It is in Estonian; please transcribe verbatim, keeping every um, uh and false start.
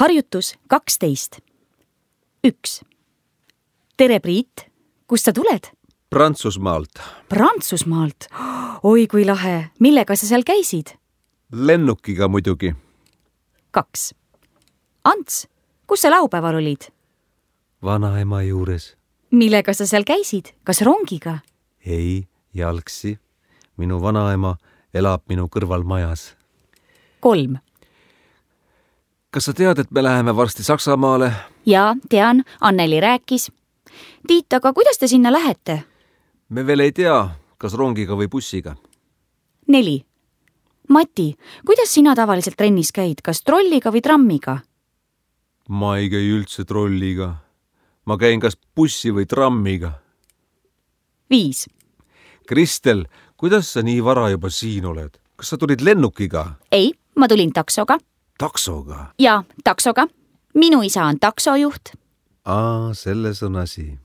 Harjutus kaksteist. üks. Tere, Priit! Kust sa tuled? Prantsusmaalt. Prantsusmaalt? Oi, kui lahe! Millega sa seal käisid? Lennukiga muidugi. kaks. Ants, kus sa laupäeval olid? Vanaema juures. Millega sa seal käisid? Kas rongiga? Ei, jalgsi. Minu vanaema elab minu kõrval majas. kolm. Kas sa tead, et me läheme varsti Saksamaale? Jaa, tean, Anneli rääkis. Tiit, aga kuidas te sinna lähete? Me veel ei tea, kas rongiga või bussiga. neli. Mati, kuidas sina tavaliselt trennis käid, kas trolliga või trammiga? Ma ei käi üldse trolliga. Ma käin kas bussi või trammiga. viis. Kristel, kuidas sa nii vara juba siin oled? Kas sa tulid lennukiga? Ei, ma tulin taksoga. Taksoga? Jaa, taksoga. Minu isa on taksojuht. Aa, selles on asi.